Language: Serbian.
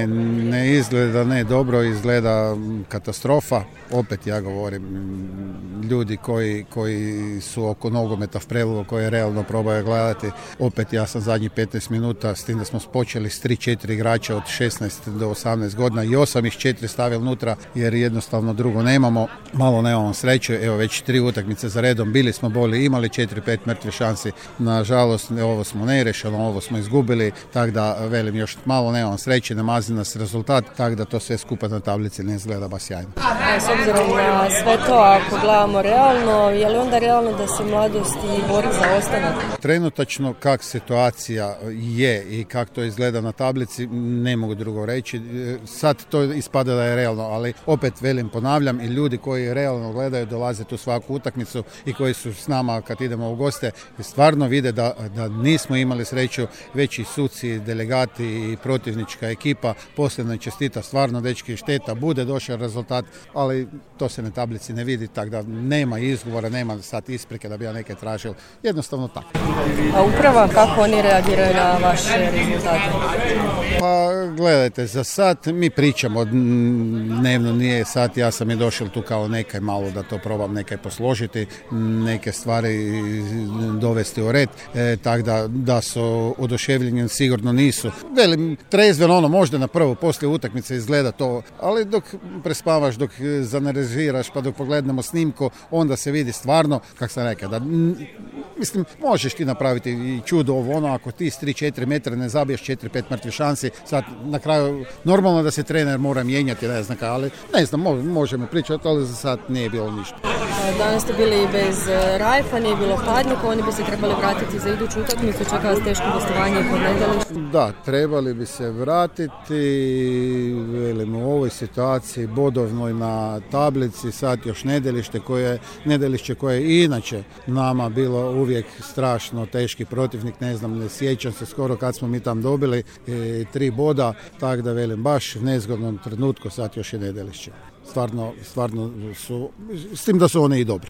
ne izgleda ne dobro, izgleda katastrofa. Opet ja govorim, ljudi koji su oko nogometa Prelogu, koji realno probaju gledati, opet ja sam zadnjih 15 minuta, s tim da smo počeli s 3-4 igrača od 16 do 18 godina i 8 ih 4 stavili unutra jer jednostavno drugo nemamo, malo nemamo sreće, evo već 3 utakmice za redom, bili smo bolji, imali 4-5 mrtve šansi, nažalost ovo smo nerešeno, ovo smo izgubili, tako da velim još malo nemamo sreće, namazi nas rezultat, tako da to sve skupa na tablici ne izgleda baš sjajno. S obzirom na sve to, ako gledamo realno, je li onda realno da se mladosti bori za ostanak? Trenutačno kak situacija je i kako to izgleda na tablici, ne mogu drugo reći. Sad to ispada da je realno, ali opet velim, ponavljam, i ljudi koji realno gledaju, dolaze tu svaku utakmicu i koji su s nama kad idemo u goste, stvarno vide da nismo imali sreću, već i suci, delegati i protivnička ekipa, posljedno čestita, stvarno dečki, šteta, bude došao rezultat, ali to se na tablici ne vidi, tako da nema izgovora, nema sad isprike da bi ja neke tražio, jednostavno tako. A uprava, kako oni reagiraju na vaše rezultate? Pa gledajte, za sad mi pričamo, dnevno nije sad, ja sam i došao tu kao nekaj malo da to probam nekaj posložiti, neke stvari dovesti u red, tako da su oduševljeni sigurno nisu. Velim, trezveno možda na prvo, poslije utakmice izgleda to, ali dok prespavaš, dok zanaliziraš, pa dok pogledamo snimku, onda se vidi stvarno, kako sam rekao, da mislim, možeš ti napraviti i čudo ako ti s 3-4 metra ne zabiješ 4-5 mrtvi šansi, sad na kraju normalno da se trener mora mijenjati, ne znam, ali ne znam, možemo pričati, ali za sad nije bilo ništa. Danas ste bili bez Rajfa, nije bilo Hladnjaka, oni bi se trebali vratiti za iduću utakmicu, čeka vas teško gostovanje kod Nedelišta. Da, trebali bi se vratiti, velim, u ovoj situaciji bodovnoj na tablici, sad još Nedelišće koje je inače nama bilo uvijek strašno teški protivnik, ne znam, ne sjećam se skoro kad smo mi tam dobili 3 boda, tako da velim, baš u nezgodnom trenutku sad još je Nedelišće. Stvarno su, s tim da su one i dobre.